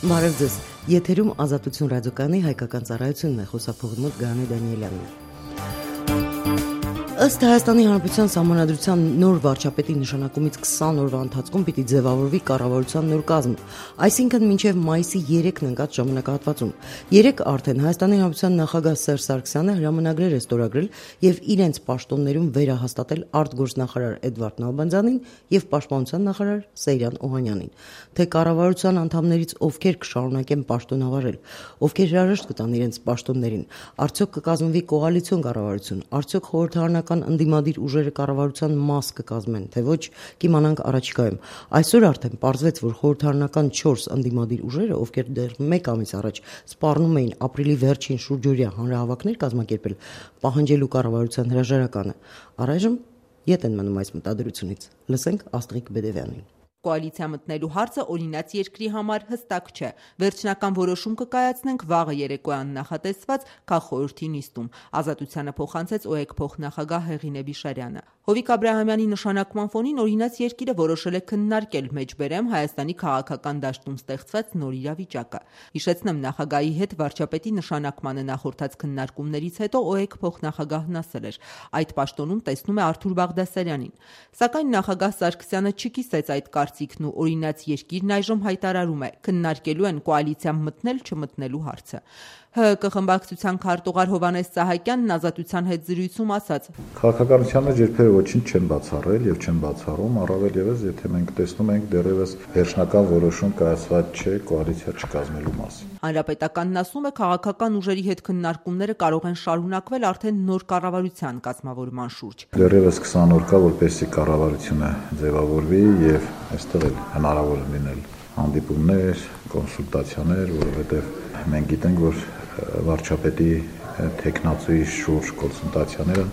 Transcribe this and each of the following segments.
Բարև ձեզ, եթերում Ազատություն ռադիոկայանի հայկական ծառայությունն է, խոսափողի մոտ Գարանե Դանիելյանն է։ Ըստ Հայաստանի Հանրապետության Սահմանադրության նոր վարչապետի նշանակումից 20 օրվա ընթացքում պիտի ձևավորվի կառավարության նոր կազմ, այսինքն մինչև մայիսի 3-ն ընկած ժամանակահատվածում։ Երեկ արդեն Հայաստանի Հանրապետության նախագահ Սերժ Սարգսյանը հրամանագրեր է ստորագրել եւ իրենց պաշտոններում վերահաստատել արտգործնախարար Էդվարդ Նալբանդյանին եւ պաշտպանության նախարար Սեյրան Օհանյանին։ Թե կառավարության անդամներից ովքեր կշարունակեն պաշտոնավարել, ովքեր հրաժեշտ կտան իրենց պաշտոններին, արդյոք կկազմվի կոալիցիոն կառավարություն, արդյոք խորհրդարանական ընդդիմադիր ուժերը կառավարության մաս կկազմեն, թե ոչ, կիմանանք առաջիկայում։ Այսօր արդեն պարզվեց, որ խորհրդարանական 4 ընդդիմադիր ուժերը, ովքեր դեռ 1 ամիս առաջ սպառնում էին ապրիլի վերջին շուրջօրյա հանրահավաքներ կազմակերպել, պահանջելու կառավարության հրաժարականը, առայժմ ետ են մնում այս մտադրությունից։ Լսենք Աստղիկ Բեդևյանին։ Կոալիցիա մտնելու հարցը օրինաց երկրի համար հստակ չէ։ Վերջնական որոշում կկայացնենք վաղը երեկոյան նախատեսված քաղխորհրդի նիստում։ Ազատությանը փոխանցեց ՕԵԿ փոխնախագահ Հեղինե Բիշարյանը։ Հովիկ Աբրահամյանի նշանակման ֆոնին օրինաց երկիրը որոշել է քննարկել մեջբերեմ Հայաստանի քաղաքական դաշտում ստեղծված նոր իրավիճակը։ Հիշեցնեմ, նախագահի հետ վարչապետի նշանակմանը նախորդած քննարկումներից հետո ՕԵԿ փոխնախագահն ասել էր. այդ պաշտոնում տեսնում է Արթուր Բաղդասարյանին։ Սակայն նախագահ Սարգսյանը չկիսեց այդ կարծիքն ու օրինաց երկիրն այժմ հայտարարում է քննարկելու են կոալիցիա մտնել-չմտնելու հարցը։ ՀՀԿ խմբակցության քարտուղար Հովհաննես Սահակյանն Ազատության հետ զրույցում ասաց. Քաղաքականության մեջ երբևէ ոչինչ չեն բացառել եւ չեն բացառում, առավել եւս եթե մենք տեսնում ենք դեռևս վերջնական որոշում կայացված չէ կոալիցիա չկազմելու մասին։ Հանրապետականն ասում է, քաղաքական ուժերի հետ քննարկումները կարող են շարունակվել արդեն նոր կառավարության կազմավորման շուրջ։ Դեռևս 20 օր կա, որպեսզի կառավարությունը ձևավորվի եւ այստեղ էլ հնարավոր է լինել հանդիպումներ, կոնսուլտացիաներ, որովհետեւ մենք գիտենք, որ վարչապետի տեխնացուի շուրջ կոնսուլտացիաները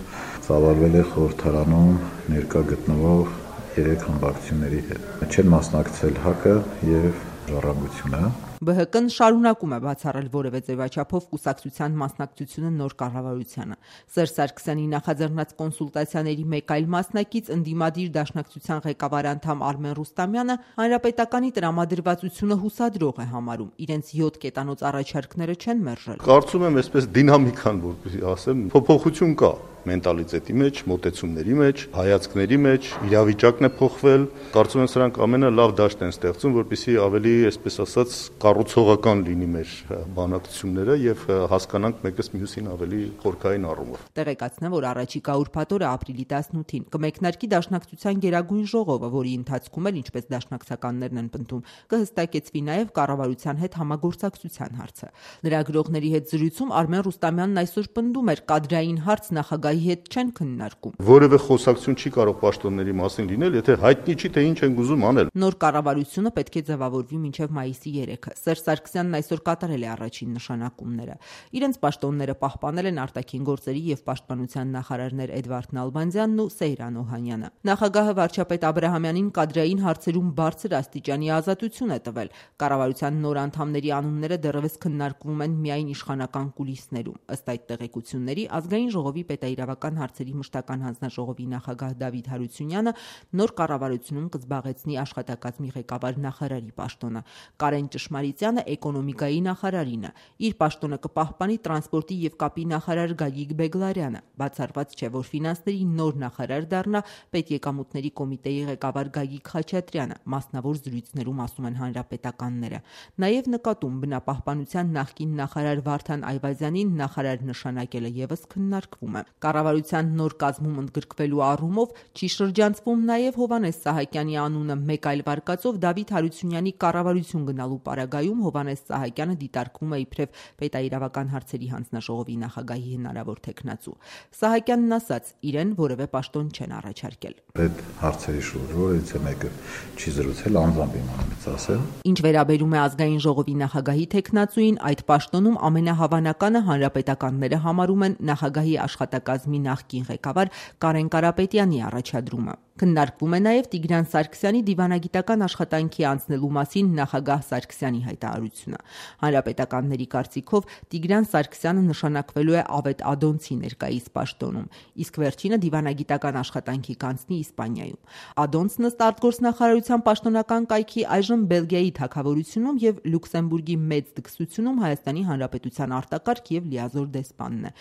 ծավալվել է խորհրդարանում ներկա գտնվող 3 խմբակցությունների հետ։ Չեն մասնակցել ՀԱԿ-ը եւ Ժառանգությունը։ ԲՀԿ-ն շարունակում է բացառել որևէ ձևաչափով կուսակցության մասնակցությունը նոր կառավարությանը։ Սերժ Սարգսյանի նախաձեռնած կոնսուլտացիաների մեկ այլ մասնակից ընդդիմադիր դաշնակցության ղեկավար անդամ Արմեն Ռուստամյանը հանրապետականի տրամադրվածությունը հուսադրող է համարում։ Իրենց 7 կետանոց առաջարկները չեն մերժել։ Կարծում եմ, այսպես դինամիկան, որպեսզի ասեմ, փոփոխություն կա մենտալիտետի մեջ, մոտեցումների մեջ, հայացքների մեջ, իրավիճակն է փոխվել։ Կարծում եմ, սրանք ամենը լավ դաշտ են ստեղծում, որպեսզի ավելի, այսպես ասած, կառուցողական լինի մեր բանակցությունները եւ հասկանանք մեկս մյուսին ավելի խորքային առումով։ Տեղեկացնեմ, որ առաջիկա ուրբաթ օրը ապրիլի 18-ին կմեկնարկի Դաշնակցության Գերագույն ժողովը, որի ընթացքում էլ, ինչպես դաշնակցականներն են պնդում, կհստակեցվի նաեւ կառավարության հետ համագործակցության հարցը։ Լրագրողների հետ զրույցում Արմեն Ռուստամյանն այսօր պնդում էր, կադրային հարց նախագահի հետ չեն քննարկում։ Որևէ խոսակցություն չի կարող պաշտոնների մասին լինել, եթե հայտնի չի, թե ինչ են ուզում անել։ Նոր կառավարությունը պետք է ձևավորվի մինչև մայիսի 3-ը։ Սերժ Սարգսյանն այսօր կատարել է առաջին նշանակումները։ Իրենց պաշտոնները պահպանել են արտաքին գործերի եւ պաշտպանության նախարարներ Էդվարդ Նալբանդյանն ու Սեյրան Օհանյանը։ Նախագահը վարչապետ Աբրահամյանին կադրային հարցերում բարձր աստիճանի ազատություն է տվել։ Կառավարության նոր անդամների անունները դեռևս քննարկվում են միայն իշխանական կուլիսներում։ Ըստ այդ տեղեկությունների Ազգային ժողովի պետաիրավական հարցերի մշտական հանձնաժողովի նախագահ Դավիթ Հարությունյանը նոր կառավարությունում կզբաղեցնի աշխատակազմի ղեկավար նախարարի պաշտոնը։ Կարեն Ճշմարիտյանը էկոնոմիկայի նախարարինը։ Իր պաշտոնը կպահպանի տրանսպորտի եւ կապի նախարար Գագիկ Բեգլարյանը։ Բացառված չէ, որ ֆինանսների նոր նախարար դառնա պետեկամուտների կոմիտեի ղեկավար Գագիկ Խաչատրյանը, մասնավոր զրույցներում ասում են հանրապետականները։ Նաեւ նկատում բնապահպանության նախկին նախարար Վարդան Այվազյանին նախարար նշանակելը եւս քննարկվում է։ Կառավարության նոր կազմում ընդգրկվելու առումով չի շրջանցվում նաեւ Հովհաննես Սահակյանի անունը։ Մեկ այլ վարկածով Դավիթ Հարությունյանի կառավարություն գնալու պարագայում Հովհաննես Սահակյանը դիտարկվում է իբրև պետաիրավական հարցերի հանձնաժողովի նախագահի հնարավոր թեկնածու։ Սահակյանն ասաց, իրեն որևէ պաշտոն չեն առաջարկել։ Այդ հարցերի շուրջ որից է մեկը չի զրուցել, անձամբ իմանալից ասեմ։ Ինչ վերաբերում է ազգային ժողովի նախագահի թեկնածուին, այդ պաշտոնում ամենահավանականը հանրապետականները համարում են նախագահի աշխատակազմի նախկին ղեկավար Կարեն Կարապետյանի առաջադրումը։ Քննարկվում է նաև Տիգրան Սարգսյանի դիվանագիտական աշխատանքի անցնելու մասին նախագահ Սարգսյանի հայտարարությունը։ Հանրապետականների կարծիքով Տիգրան Սարգսյանը նշանակվելու է Ավետ Ադոնցի ներկայիս պաշտոնում, իսկ վերջինը դիվանագիտական աշխատանքի կանցնի Իսպանիայում։ Ադոնցն ըստ արտգործնախարարության պաշտոնական կայքի այժմ Բելգիայի թագավորությունում եւ Լյուքսեմբուրգի մեծ դքսությունում Հայաստանի Հանրապետության արտակարգ եւ լիազոր դեսպանն է,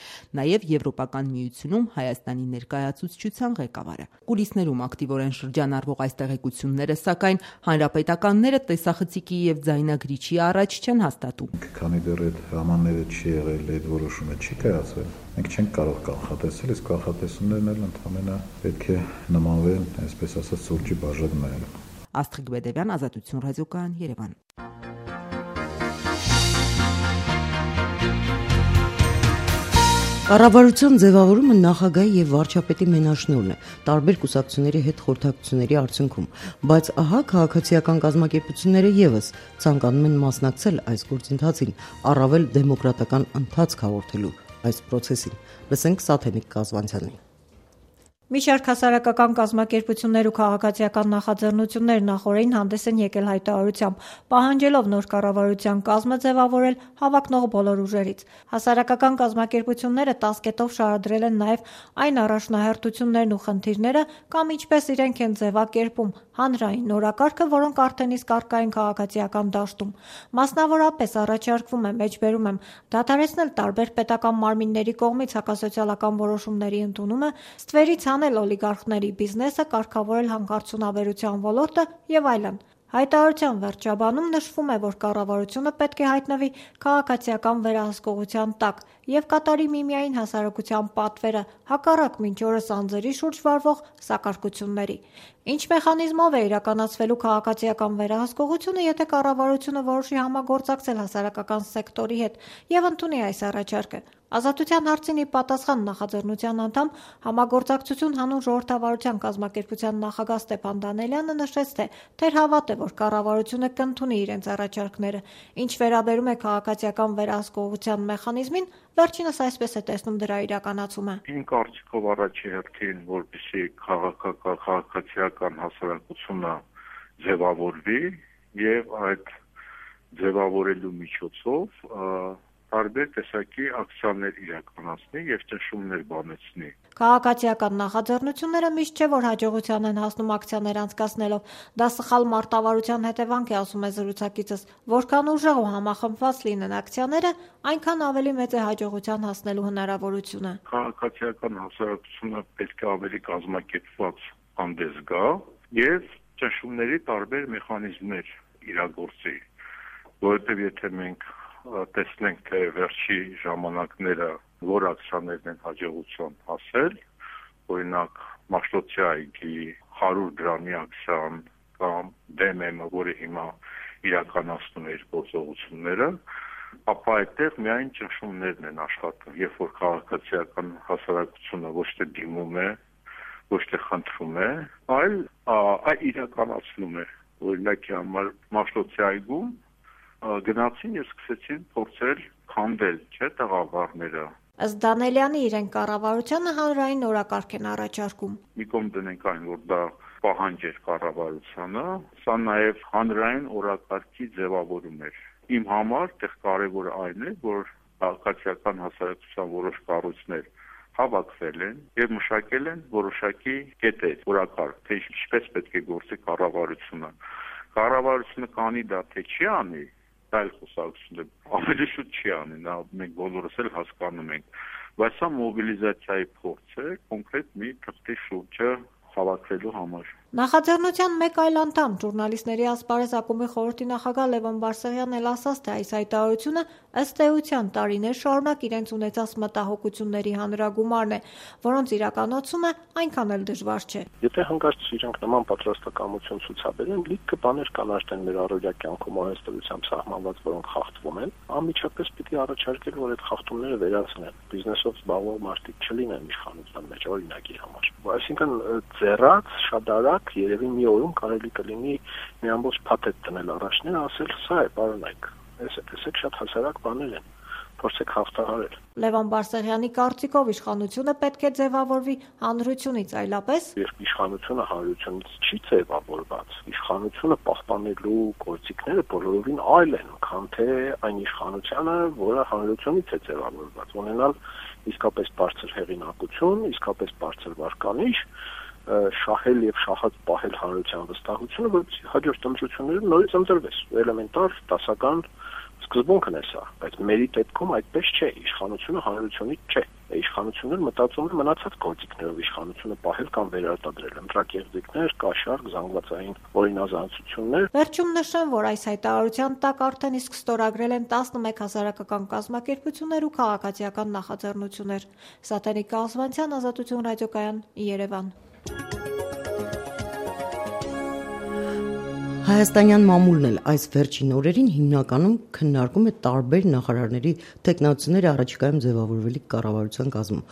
նաեւ Եվրոպական միությունում Հայաստանի ներկայացուցչության ղեկավարը։ Կուլիսներում ակտիվորեն շրջանառվող այս տեղեկությունները, սակայն հանրապետականները տեսախցիկի եւ ձայնագրիչի առաջ չեն հաստատում։ Քանի դեռ այդ հրամանները չի եղել, այդ որոշումը չի կայացել, մենք չենք կարող կանխատեսել, իսկ կանխատեսումներն էլ ընդհանրապես պետք է նմանվեն, այսպես ասած, սուրճի բաժակներին։ Աստղիկ Բեդևյան, Ազատություն ռադիոկայան, Երևան։ Կառավարության ձևավորումը նախագահի եւ վարչապետի մենաշնորհն է տարբեր կուսակցությունների հետ խորհրդակցությունների արդյունքում, բայց ահա քաղաքացիական կազմակերպությունները եւս ցանկանում են մասնակցել այս գործընթացին, առավել դեմոկրատական ընթացք հաղորդելու այս process-ին։ Լսենք Սաթենիկ Կազվանցյանին։ Մի շարք հասարակական կազմակերպություններ ու քաղաքացիական նախաձեռնություններ նախորդին հանդես են եկել հայտարարությամբ, պահանջելով նոր կառավարության կազմը ձևավորել հավակնող բոլոր ուժերից։ Հասարակական կազմակերպությունները 10 կետով շարադրել են նաև այն առաջնահերթություններն ու խնդիրները կամ ինչպես իրենք են ձևակերպում հանրային նորակարգը, որոնք արդեն իսկ առկա են քաղաքացիական դաշտում։ Մասնավորապես առաջարկվում է, մեջբերում եմ, դադարեցնել տարբեր պետական մարմինների կողմից հակասոցիալական որոշումների ընդունումը, ստվերից հանել օլիգարխների բիզնեսը, կարգավորել հանքարդյունաբերության ոլորտը եւ այլն։ Հայտարարության վերջաբանում նշվում է, որ կառավարությունը պետք է հայտնվի քաղաքացիական վերահսկողության տակ եւ կատարի միմիային հասարակության պատվերը, հակառակ մինչ օրս անձերի շուրջ վարվող սակարկությունների։ Ինչ մեխանիզմով է իրականացվելու քաղաքացիական վերահսկողությունը, եթե կառավարությունը որոշի համագործակցել հասարակական սեկտորի հետ եւ ընդունի այս առաջարկը։ Ազատության հարցին ի պատասխան նախաձեռնության անդամ համագործակցություն հանուն ժողովրդավարության կազմակերպության նախագահ Ստեփան Դանելյանը նշեց, թե թերհավատ է, որ կառավարությունը կընդունի իրենց առաջարկները։ Ինչ վերաբերում է քաղաքացիական վերահսկողության մեխանիզմին, վերջինս այսպես է տեսնում դրա իրականացումը։ Իմ կարծիքով առաջի հերթին, որպեսզի քաղաքացիական հասարակությունը ձևավորվի եւ այդ ձևավորելու միջոցով տարբեր տեսակի ակցիաներ իրականացնի եւ ճնշումներ բանեցնի։ Քաղաքացիական նախաձեռնությունները միշտ չէ, որ հաջողության են հասնում ակցիաներ անցկացնելով։ Դա սխալ մարտավարության հետևանք է, ասում է զրուցակիցս։ Որքան ուժեղ ու համախմբված լինեն ակցիաները, այնքան ավելի մեծ է հաջողության հասնելու հնարավորությունը։ Քաղաքացիական հասարակությունը պետք է ավելի կազմակերպված հանդես գա եւ ճնշումների տարբեր մեխանիզմներ իրագործի, որովհետեւ եթե մենք տեսնենք, թե վերջի ժամանակները որ ակցիաներն են հաջողության հասել, օրինակ Մաշտոցի այգի 100 դրամի ակցիան կամ DMM-ը, որը հիմա իրականացնում է իր գործողությունները, ապա այդտեղ միայն ճնշումներն են աշխատում, երբ որ քաղաքացիական հասարակությունը ոչ թե դիմում է, ոչ թե խնդրում է, այլ իրականացնում է։ Օրինակի համար Մաշտոցի այգում գնացին եւ սկսեցին փորձել քանդել, չէ՞, տղավարները։ Ըստ Դանելյանի, իրենք կառավարությանը հանրային օրակարգ են առաջարկում։ Մի կողմ դնենք այն, որ դա պահանջ էր կառավարությանը, սա նաեւ հանրային օրակարգի ձևավորում էր։ Իմ համար այդտեղ կարևորը այն է, որ քաղաքացիական հասարակության որոշ կառույցներ հավաքվել են եւ մշակել են որոշակի կետեր, օրակարգ, թե ինչպես պետք է գործի կառավարությունը։ Կառավարությունը կանի դա թե չի անի, այլ խոսակցությունը ավելի շուտ չի անի, նա մենք բոլորս էլ հասկանում ենք, բայց սա մոբիլիզացիայի փորձ է կոնկրետ մի թղթի շուրջը հավաքվելու համար։ Նախաձեռնության մեկ այլ անդամ, ժուրնալիստների ասպարեզ ակումբի խորհրդի նախագահ Լևոն Բարսեղյանն էլ ասաց, թե այս հայտարարությունը ըստ էության տարիներ շարունակ իրենց ունեցած մտահոգությունների հանրագումարն է, որոնց իրականացումը այնքան էլ դժվար չէ։ Եթե հանկարծ իրենք նման պատրաստակամություն ցուցաբերեն, լիքը բաներ կան արդեն մեր առօրյա կյանքում արհեստությամբ սահմանված, որոնք խախտվում են, անմիջապես պիտի առաջարկել, որ այդ խախտումները վերացնեն։ Բիզնեսով զբաղվող մարդիկ չլինեն իշխանության մեջ, օրինակի համար։ Այսինքն ձեռած, շատ արագ երևի մի օրում կարելի կլինի մի ամբողջ փաթեթ դնել առաջներ, ասել սա է, պարոնայք։ Տեսեք, շատ հասարակ բաներ են։ փորձեք հաղթահարել։ Լևոն Բարսեղյանի կարծիքով իշխանությունը պետք է ձևավորվի հանրությունից այլապես։ Երբ իշխանությունը հանրությունից չի ձևավորված, իշխանությունը պահպանելու գործիքները բոլորովին այլ են, քան թե այն իշխանությունը, որը հանրությունից է ձևավորված, ունենալ իսկապես բարձր հեղինակություն, իսկապես բարձր վարկանիշ, շահել եւ շահած պահել հանրության վստահությունը, որպեսզի հաջորդ ընտրություններում նորից ընտրվես։ Էլեմենտար դասական սկզբունքն է սա, բայց մերի դեպքում այդպես չէ, իշխանությունը հանրությունից չէ։ Իշխանությունները մտածում են մնացած գործիքներով իշխանությունը պահել կամ վերարտադրել, ընտրակեղծիքներ, կաշառք, զանգվածային օրինազանցություններ։ Վերջում նշեմ, որ այս հայտարարության տակ արդեն իսկ ստորագրել են 11 հասարակական կազմակերպություններ ու քաղաքացիական նախաձեռնություններ։ Սատենիկ Կազմանցյան, Ազատություն ռադիոկայան, Երևան։ Հայաստանյան մամուլն էլ այս վերջին օրերին հիմնականում քննարկում է տարբեր նախարարների տեխնացուների առաջիկայում ձևավորվելիք կառավարության կազմում։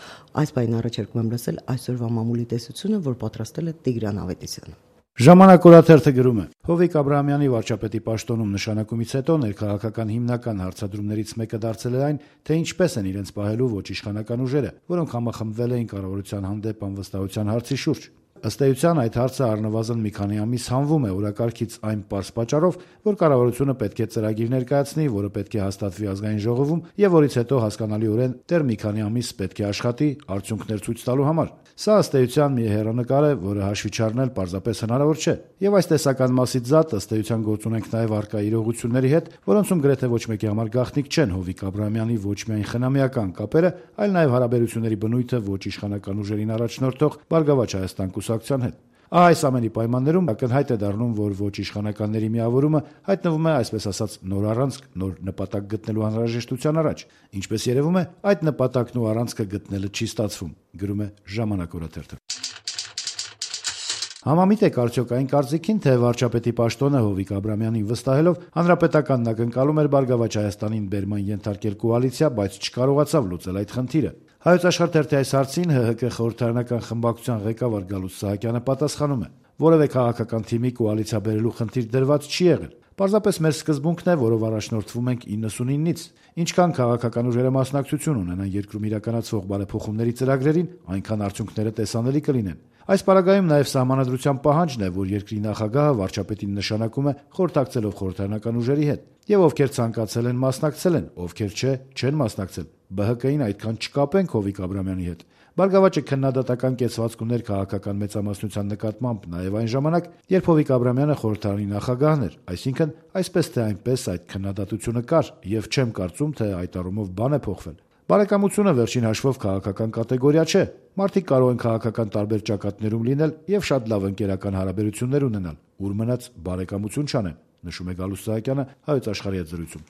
Այս բանին առաջարկում եմ լսել այսօրվա մամուլի տեսությունը, որ պատրաստել է Տիգրան Ավետիսյանը։ Ժամանակ օրաթերթը գրում է. Հովիկ Աբրահամյանի վարչապետի պաշտոնում նշանակումից հետո ներքաղաքական հիմնական հարցադրումներից մեկը դարձել է այն, թե ինչպես են իրենց պահելու ոչ իշխանական ուժերը, որոնք համախմբվել էին կառավարության հանդեպ անվստահության հարցի շուրջ։ Ըստ էության այդ հարցը առնվազն մի քանի ամիս հանվում է օրակարգից այն պարզ պատճառով, որ կառավարությունը պետք է ծրագիր ներկայացնի, որը պետք է հաստատվի ազգային ժողովում եւ որից հետո հասկանալիորեն դեռ մի քանի ամիս պետք է աշխատի արդյունքներ ցույց տալու համար։ Սա ըստ էության մի հեռանկար է, որը հաշվի չառնել պարզապես հնարավոր չէ։ Եվ այս տեսական մասից զատ ըստ էության գործ ունենք նաեւ արկա իրողությունների հետ, որոնցում գրեթե ոչ մեկի համար գաղտնիք չեն Հովիկ Աբրահամյանի ոչ միայն խնամիական կապերը, այլ նաեւ հարաբերությունների բնույթը ոչ իշխանական ուժերին առաջնորդող Բարգավաճ Հայաստան կուսակցության հետ։ Այս ամենի պայմաններում ակնհայտ է դառնում, որ ոչ իշխանականների միավորումը հայտնվում է, այսպես ասած, նոր առանցք, նոր նպատակ գտնելու անհրաժեշտության առաջ։ Ինչպես երևում է, այդ նպատակն ու առանցքը գտնելը չի ստացվում, գրում է Ժամանակ օրաթերթը։ Համամիտ եք արդյոք այն կարծիքին, թե վարչապետի պաշտոնը Հովիկ Աբրահամյանին վստահելով հանրապետականն ակնկալում էր Բարգավաճ Հայաստանին բերման ենթարկել կոալիցիա, բայց չկարողացավ լուծել այդ խնդիրը։ Հայոց աշխարհ թերթի այս հարցին ՀՀԿ խորհրդարանական խմբակցության ղեկավար Գալուստ Սահակյանը պատասխանում է. որևէ քաղաքական թիմի կոալիցիա բերելու խնդիր դրված չի եղել։ Պարզապես մեր սկզբունքն է, որով առաջնորդվում ենք 99-ից։ Ինչքան քաղաքական ուժերը մասնակցություն ունենան երկրում իրականացվող բարեփոխումների ծրագրերին, այնքան արդյունքները տեսանելի կլինեն։ Այս պարագայում նաև սահմանադրության պահանջն է, որ երկրի նախագահը վարչապետին նշանակում է խորհրդակցելով խորհրդարանական ուժերի հետ, եւ ովքեր ցանկացել են մասնակցել են, ովքեր չեն մասնակցել։ ԲՀԿ-ին այդքան չկապենք Հովիկ Աբրահամյանի հետ։ Բարգավաճը քննադատական կեցվածք ուներ քաղաքական մեծամասնության նկատմամբ նաև այն ժամանակ, երբ Հովիկ Աբրահամյանը խորհրդարանի նախագահն էր, այսինքն այսպես թե այնպես այդ քննադատությունը կար, եւ չեմ կարծում, թե այդ առումով բան է փոխվել։ Բարեկամությունը վերջին հաշվով քաղաքական կատեգորիա չէ։ Մարդիկ կարող են քաղաքական տարբեր ճակատներում լինել եւ շատ լավ ընկերական հարաբերություններ ունենալ, ուր մնաց բարեկամություն չանեն, նշում է Գալուստ Սահակյանը Հայոց աշխարհի հետ զրույցում։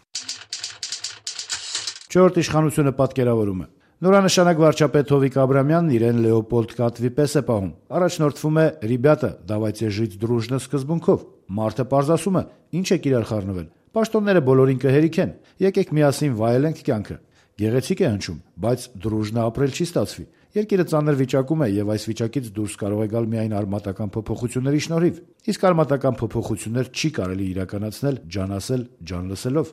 Չորրորդ իշխանությունը պատկերավորում է. նորանշանակ վարչապետ Հովիկ Աբրահամյանն իրեն Լեոպոլդ Կատվի պես է պահում։ Առաջնորդվում է «Ռիբյատա, давайте жить дружно» սկզբունքով։ Մարդը պարզասում է. ինչ եք իրար խառնվել։ Պաշտոնները բոլորին կհերիքեն։ Եկեք միասին վայելենք կյանքը։ Գեղեցիկ է հնչում, բայց դրուժնա ապրել չի ստացվի։ Երկիրը ծանր վիճակում է եւ այս վիճակից դուրս կարող է գալ միայն արմատական փոփոխությունների շնորհիվ։ Իսկ արմատական փոփոխություններ չի կարելի իրականացնել ջան ասել, ջան լսելով։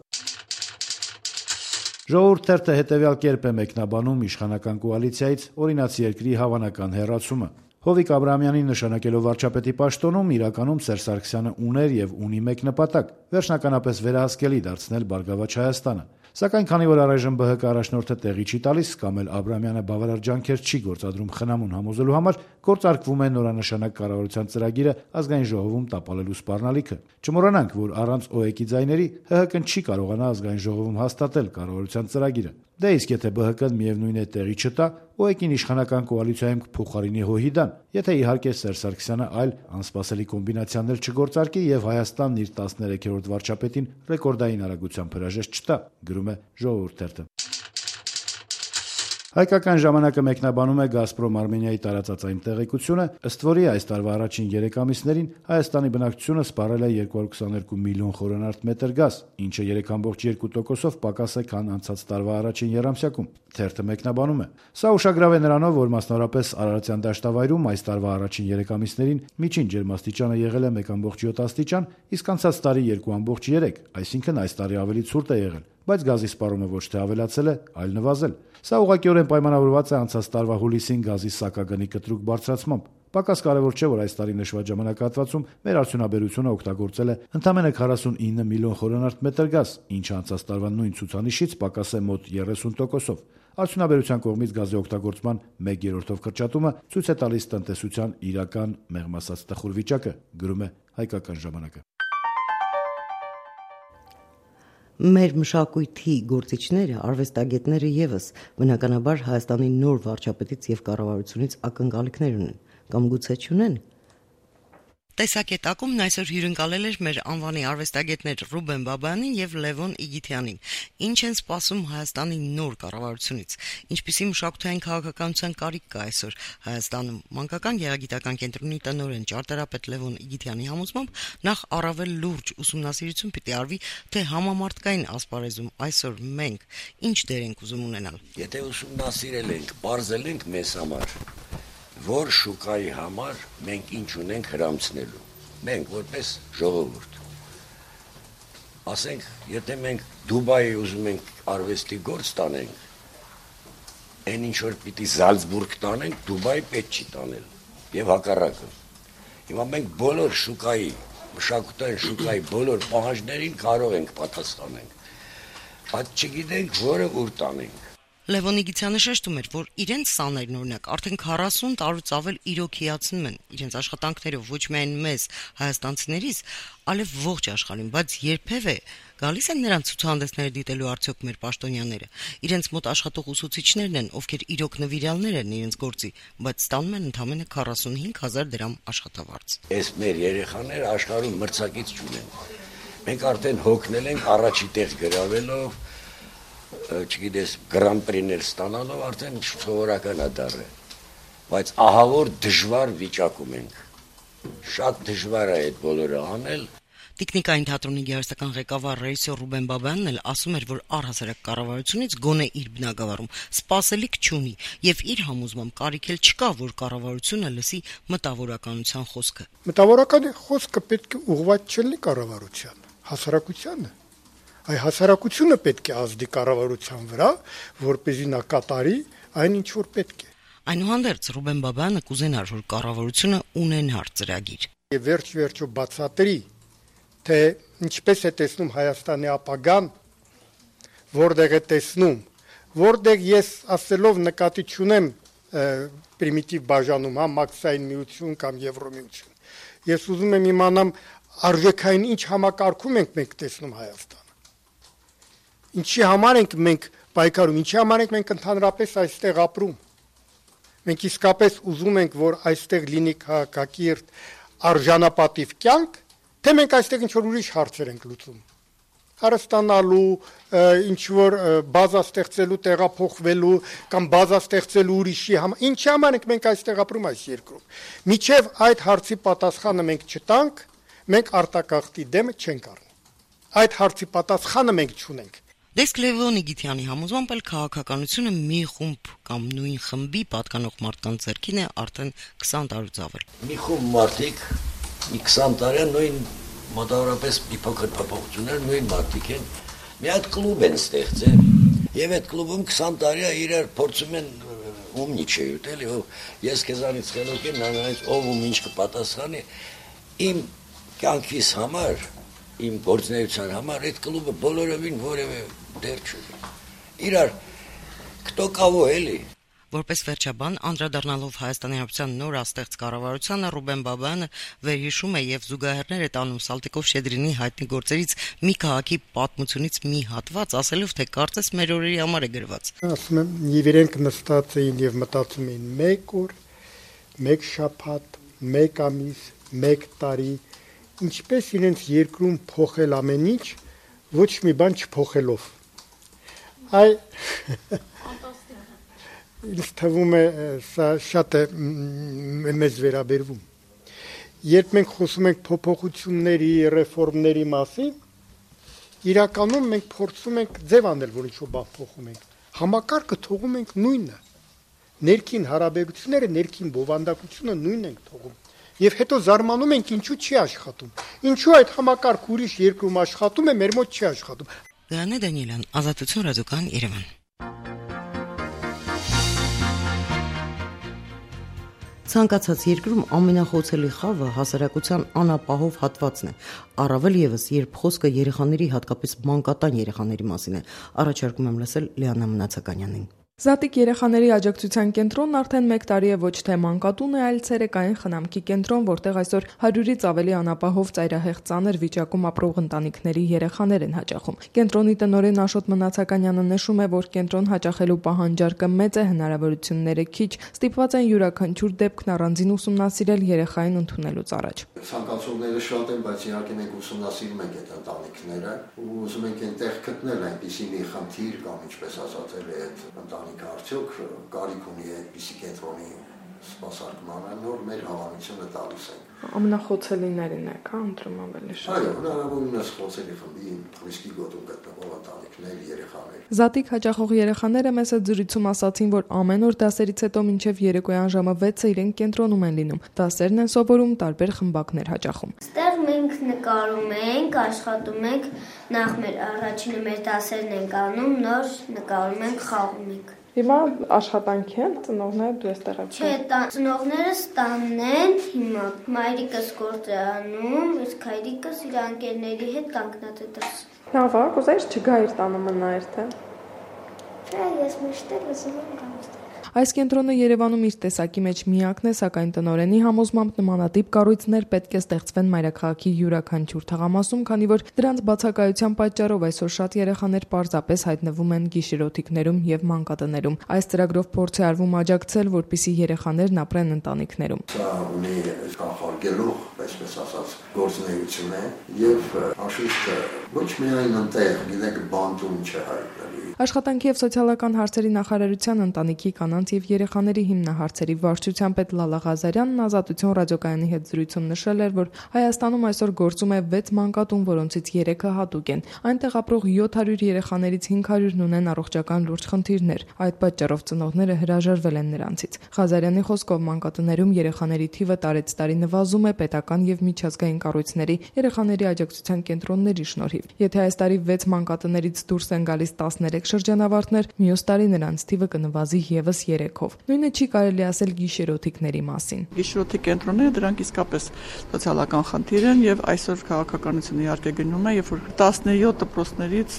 Ժողովուրդ թերթը հետևյալ կերպ է մեկնաբանում իշխանական կոալիցիայից օրինացի երկրի հավանական հեռացումը։ Հովիկ Աբրահամյանին նշանակելով վարչապետի պաշտոնում իրականում Սերժ Սարգսյանը ուներ եւ ունի մեկ նպատակ՝ վերջնականապես վերահսկելի դարձնել Բարգավաճ Հայաստանը։ Սակայն քանի որ առայժմ ԲՀԿ առաջնորդը տեղի չի տալիս կամ էլ Աբրահամյանը բավարար ջանքեր չի գործադրում խնամուն համոզելու համար, գործարկվում է նորանշանակ կառավարության ծրագիրը ազգային ժողովում տապալելու սպառնալիքը։ Չմոռանանք, որ առանց ՕԵԿ-ի ձայների ՀՀԿ-ն չի կարողանա ազգային ժողովում հաստատել կառավարության ծրագիրը։ Դե իսկ եթե ԲՀԿ-ն միևնույն է տեղի չտա, ՕԵԿ-ին իշխանական կոալիցիայում փոխարինի ՀՅԴ-ն, եթե իհարկե Սերժ Սարգսյանը այլ անսպասելի կոմբինացիաներ չգործարկի եւ Հայաստանն իր 13-րդ վարչապետին ռեկորդային արագությամբ հրաժեշտ չտա, գրում է Ժողովուրդ թերթը։ Հայկական ժամանակը մեկնաբանում է «Գազպրոմ Արմենիայի» տարածած այն տեղեկությունը, ըստ որի այս տարվա առաջին 3 ամիսներին Հայաստանի բնակչությունը սպառել է 222 միլիոն խորանարդ մետր գազ, ինչը 3.2%-ով պակաս է, քան անցած տարվա առաջին եռամսյակում։ Թերթը մեկնաբանում է. Սա ուշագրավ է նրանով, որ մասնավորապես Արարատյան դաշտավայրում այս տարվա առաջին 3 ամիսներին միջին ջերմաստիճանը եղել է 1.7 աստիճան, իսկ անցած տարի 2.3, այսինքն այս տարի ավելի ցուրտ է եղել։ բայց գազի սպառումը ոչ թե ավելացել է, այլ նվազել։ Սա ուղղակիորեն պայմանավորված է անցած տարվա հուլիսին գազի սակագնի կտրուկ բարձրացմամբ։ Պակաս կարևոր չէ, որ այս տարի նշված ժամանակահատվածում մեր արդյունաբերությունը օգտագործել է ընդամենը 49 միլիոն խորանարդ մետր գազ, ինչը անցած տարվա նույն ցուցանիշից պակաս է մոտ 30%-ով։ Արդյունաբերության կողմից գազի օգտագործման 1/3-ով կրճատումը ցույց է տալիս տնտեսության իրական մեղմ ասած տխուր վիճակը, գրում է Հայկական ժամանակը։ Մեր մշակույթի գործիչները, արվեստագետները եւս բնականաբար Հայաստանի նոր վարչապետից եւ կառավարությունից ակնկալիքներ ունեն, կամ գուցե չունեն։ Տեսակետակումն այսօր հյուրընկալել էր մեր անվանի արվեստագետներ Ռուբեն Բաբյանին եւ Լևոն Իգիթյանին։ Ինչ են սպասում Հայաստանի նոր կառավարությունից, ինչպիսի մշակութային քաղաքականության կարիք կա այսօր Հայաստանում։ Մանկական գեղագիտական կենտրոնի տնօրեն ճարտարապետ Լևոն Իգիթյանի համոզմամբ նախ առավել լուրջ ուսումնասիրություն պիտի արվի, թե համամարտկային ասպարեզում այսօր մենք ինչ դեր ենք ուզում ունենալ։ Եթե ուսումնասիրել ենք, բարձել ենք մեզ համար, որ շուկայի համար մենք ինչ ունենք հրամցնելու, մենք որպես ժողովուրդ, ասենք, եթե մենք Դուբայի ուզում ենք արվեստի գործ տանենք, այն ինչ որ պիտի Զալցբուրգ տանենք, Դուբայի պետք չի տանել, եւ հակառակը։ Հիմա մենք բոլոր շուկայի, մշակութային շուկայի բոլոր պահանջներին կարող ենք պատասխանենք, բայց չգիտենք որը ուր տանենք։ Լևոն Իգիթյանը շեշտում էր, որ իրենց սաներն օրինակ արդեն 40 տարուց ավել իրոք հիացնում են իրենց աշխատանքներով ոչ միայն մեզ հայաստանցիներիս, այլև ողջ աշխարհին, բայց երբևէ գալիս են նրանց ցուցահանդեսները դիտելու արդյոք մեր պաշտոնյաները։ Իրենց մոտ աշխատող ուսուցիչներն են, ովքեր իրոք նվիրյալներ են իրենց գործի, բայց ստանում են ընդամենը 45,000 դրամ աշխատավարձ։ Այս մեր երեխաները աշխարհում մրցակից չունեն։ Մենք արդեն հոգնել ենք առաջի տեղ գրավելով, չգիտես, գրանպրիներ ստանալով արդեն սովորական է դառը, բայց ահավոր դժվար վիճակում ենք, շատ դժվար է այդ բոլորը անել։ Տիկնիկային թատրոնի գեղարվեստական ղեկավար ռեժիսոր Ռուբեն Բաբյանն էլ ասում էր, որ առհասարակ կառավարությունից գոնե իր բնակավարում սպասելիք չունի եւ իր համոզմամբ կարիք էլ չկա, որ կառավարությունը լսի մտավորականության խոսքը։ Մտավորականի խոսքը պետք է ուղղված չլինի կառավարության, հասարակությանը։ Այ հասարակությունը պետք է ազդի կառավարության վրա, որպեսզի նա կատարի այն ինչ որ պետք է։ Այնուհանդերձ Ռուբեն Բաբյանը կուզենար, որ կառավարությունը ունենար ծրագիր։ Եվ վերջ-վերջո բացատրի, թե ինչպես է տեսնում Հայաստանի ապագան, որտեղ է տեսնում, որտեղ ես ասելով նկատի չունեմ պրիմիտիվ բաժանում, մաքսային միություն կամ Եվրոմիություն։ Ես ուզում եմ իմանամ արժեքային ինչ համակարգում ենք մենք տեսնում Հայաստանը։ Ինչի համար ենք մենք պայքարում, ինչի համար ենք մենք ընդհանրապես այստեղ ապրում։ Մենք իսկապես ուզում ենք, որ այստեղ լինի քաղաքակիրթ արժանապատիվ կյանք, թե մենք այստեղ ինչ որ ուրիշ հարցեր ենք լուծում։ Հարստանալու, ինչ որ բազա ստեղծելու, տեղափոխվելու կամ բազա ստեղծելու ուրիշի համար, ինչի համար ենք մենք այստեղ ապրում այս երկրում։ Միջև այդ հարցի պատասխանը մենք չտանք, մենք արտակարգի դեմը չենք առնի։ Այդ հարցի պատասխանը մենք չունենք։ Դեսկ Լևոն Իգիթյանի համոզմամբ էլ քաղաքականությունը մի խումբ կամ նույն խմբի պատկանող մարդկանց ձեռքին է արդեն 20 տարուց ավել։ Մի խումբ մարդիկ մի 20 տարի նույն մոտավորապես մի փոքր փոփոխություններ նույն մարդիկ են մի հատ կլուբ են ստեղծել եւ այդ կլուբում 20 տարի է իրար փորձում են ումնիչե ուտել եւ ես քեզանից խելոք եմ նրանից ով ում ինչ կպատասխանի իմ կյանքիս համար իմ գործունեության համար այդ կլուբը բոլորովին որևէ դեր չունի։ Իրար кто кого էլի։ Որպես վերջաբան անդրադառնալով Հայաստանի Հանրապետության նոր աստեղծ կառավարությանը Ռուբեն Բաբյանը վերհիշում է եւ զուգահեռներ է տանում Սալտիկով-Շեդրինի հայտնի գործերից մի քաղաքի պատմությունից մի հատված, ասելով թե կարծես մեր օրերի համար է գրված։ Ասում եմ, եւ իրենք նստած էին եւ մտածում էին մեկ օր, մեկ շաբաթ, մեկ ամիս, մեկ տարի ինչպես իրենց երկրում փոխել ամեն ինչ, ոչ մի բան չփոխելով։ Այ ինձ թվում է սա շատ է մեզ վերաբերվում։ Երբ մենք խոսում ենք փոփոխությունների, ռեֆորմների մասին, իրականում մենք փորձում ենք ձև անել, որ ինչ-որ բան փոխում ենք։ Համակարգը թողում ենք նույնը։ Ներքին հարաբերությունները, ներքին բովանդակությունը նույնն ենք թողում։ Եվ հետո զարմանում ենք ինչու չի աշխատում։ Ինչու այդ համակարգը ուրիշ երկրում աշխատում է, մեր մոտ չի աշխատում։ Գայանե Դանիելյան, Ազատություն ռադիոկայան, Երևան։ Ցանկացած երկրում ամենախոցելի խավը հասարակության անապահով հատվածն է, առավել եւս երբ խոսքը երեխաների, հատկապես մանկատան երեխաների մասին է, առաջարկում եմ լսել Լիանա Մնացականյանին։ Զատիկ երեխաների աջակցության կենտրոնն արդեն 1 տարի է ոչ թե մանկատուն է, այլ ցերեկային խնամքի կենտրոն, որտեղ այսօր 100-ից ավելի անապահով ծայրահեղ ծանր վիճակում ապրող ընտանիքների երեխաներ են հաճախում։ Կենտրոնի տնօրեն Աշոտ Մնացականյանը նշում է, որ կենտրոն հաճախելու պահանջարկը մեծ է, հնարավորությունները քիչ, ստիպված են յուրաքանչյուր դեպքն առանձին ուսումնասիրել երեխային ընդունելուց առաջ։ Ցանկացողները շատ են, բայց իհարկե մենք ուսումնասիրում ենք այդ ընտանիքները ու ուզում ենք այնտեղ գտնել այնպիսի մի խնդիր կամ ինչպես ասացել է այդ ընտանիքը արդյոք կարիք ունի այդպիսի կենտրոնի սպասարկմանը, նոր մեր հավանությունը տալիս ենք։ Ամենախոցելիներին եք, ընտրում ավելի շատ։ Այո, հնարավորինս խոցելի խմբի ռիսկի գոտում գտնվող ընտանիքներ, երեխաներ։ Զատիկ հաճախող երեխաները մեծ զրույցում ասացին, որ ամեն օր դասերից հետո մինչև երեկոյան ժամը 6-ը իրենք կենտրոնում են լինում։ Դասերն են սովորում, տարբեր խմբակներ հաճախում։ Այստեղ մենք նկարում ենք, աշխատում ենք, նախ մեր առաջինը մեր դասերն ենք անում, նոր նկարում ենք, խաղում ենք։ Հիմա աշխատանք են, ծնողները դու ես տեղացել։ Չէ, ծնողներս տանն են, հիմա մայրիկս գործ է անում, իսկ հայրիկս իր ընկերների հետ կանգնած է դրս։ Լավ է, կուզեիր չգա իր տանը մնայր թե։ Չէ, ես միշտ էլ ուզում եմ գալ։ Այս կենտրոնը Երևանում իր տեսակի մեջ միակն է, սակայն տնօրենի համոզմամբ նմանատիպ կառույցներ պետք է ստեղծվեն մայրաքաղաքի յուրաքանչյուր թաղամասում, քանի որ դրանց բացակայության պատճառով այսօր շատ երեխաներ պարզապես հայտնվում են գիշերօթիկներում եւ մանկատներում։ Այս ծրագրով փորձ է արվում աջակցել, որպիսի երեխաներն ապրեն ընտանիքներում։ Սա ունի կանխարգելող, այսպես ասած, գործունեություն է եւ անշուշտ ոչ միայն այնտեղ, գիտեք, բանտում չէ հայտնի։ Աշխատանքի եւ սոցիալական հարցերի նախարարության ընտանիքի կանանց եւ երեխաների հիմնահարցերի վարչության պետ Լալա Ղազարյանն Ազատություն ռադիոկայանի հետ զրույցում նշել էր, որ Հայաստանում այսօր գործում է 6 մանկատուն, որոնցից 3-ը հատուկ են։ Այնտեղ ապրող 700 երեխաներից 500-ն ունեն առողջական լուրջ խնդիրներ։ Այդ պատճառով ծնողները հրաժարվել են նրանցից։ Ղազարյանի խոսքով մանկատներում երեխաների թիվը տարեց տարի նվազում է պետական եւ միջազգային կառույցների երեխաների աջակցության կենտրոնների շնորհիվ։ Եթե այս տարի 6 մանկատներից դուրս են գալիս 13 շրջանավարտներ, մյուս տարի նրանց թիվը կնվազի եւս 3-ով։ Նույնը չի կարելի ասել գիշերօթիկների մասին։ Գիշերօթիկ կենտրոնները դրանք իսկապես սոցիալական խնդիր են եւ այսօր քաղաքականությունը իհարկե գնում է, երբ որ 17 դպրոցներից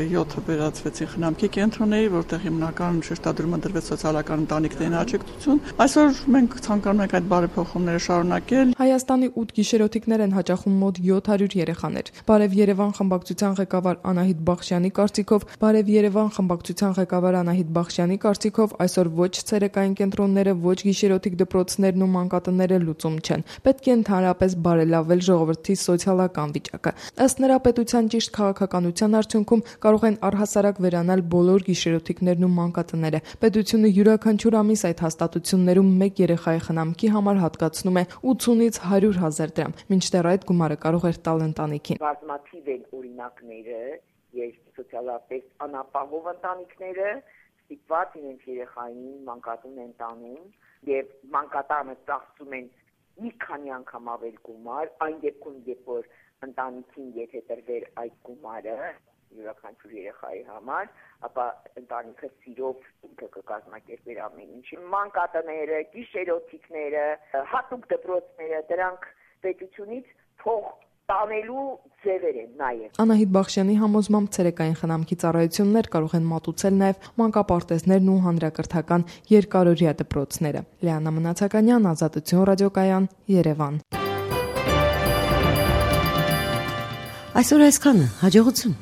7-ը վերածվեցին խնամքի կենտրոնների, որտեղ հիմնական շեշտադրումը դրվեց սոցիալական ընտանիքներին աջակցություն։ Այսօր մենք ցանկանում ենք այդ բարեփոխումները շարունակել։ Հայաստանի 8 գիշերօթիկներ են հաճախում մոտ 700 երեխաներ։ Բարև Երևան խմբակցության ղեկավար Անահիտ Բախշյանի կարծիքով, Բարև Երևան խմբակցության ղեկավար Անահիտ Բախշյանի կարծիքով այսօր ոչ ցերեկային կենտրոնները, ոչ գիշերօթիկ դպրոցներն ու մանկատները լուծում չեն։ Պետք է ընդհանրապես բարելավել ժողովրդի սոցիալական վիճակը։ Ըստ նրա պետության ճիշտ քաղաքականության արդյունքում կարող են առհասարակ վերանալ բոլոր գիշերօթիկներն ու մանկատները։ Պետությունը յուրաքանչյուր ամիս այդ հաստատություններում 1 երեխայի խնամքի համար հատկացնում է 80-ից 100,000 դրամ, մինչդեռ այդ գումարը կարող էր տալ ընտանիքին։ Բազմաթիվ են օրինակները, երբ սոցիալապես անապահով ընտանիքները ստիպված իրենց երեխային մանկատուն են տանում եւ մանկատանը ծախսում են մի քանի անգամ ավել գումար, այն դեպքում, երբ որ ընտանիքին եթե տրվեր այդ գումարը յուրաքանչյուր երեխայի համար, ապա ընտանիքը սիրով ինքը կկազմակերպեր ամեն ինչ։ Մանկատները, գիշերօթիկները, հատուկ դպրոցները, դրանք պետությունից փող տանելու ձևեր են նաև։ Անահիտ Բախշյանի համոզմամբ ցերեկային խնամքի ծառայություններ կարող են մատուցել նաև մանկապարտեզներն ու հանրակրթական երկարօրյա դպրոցները։ Լիանա Մնացականյան, Ազատություն ռադիոկայան, Երևան։ Այսօր այսքանը, հաջողություն։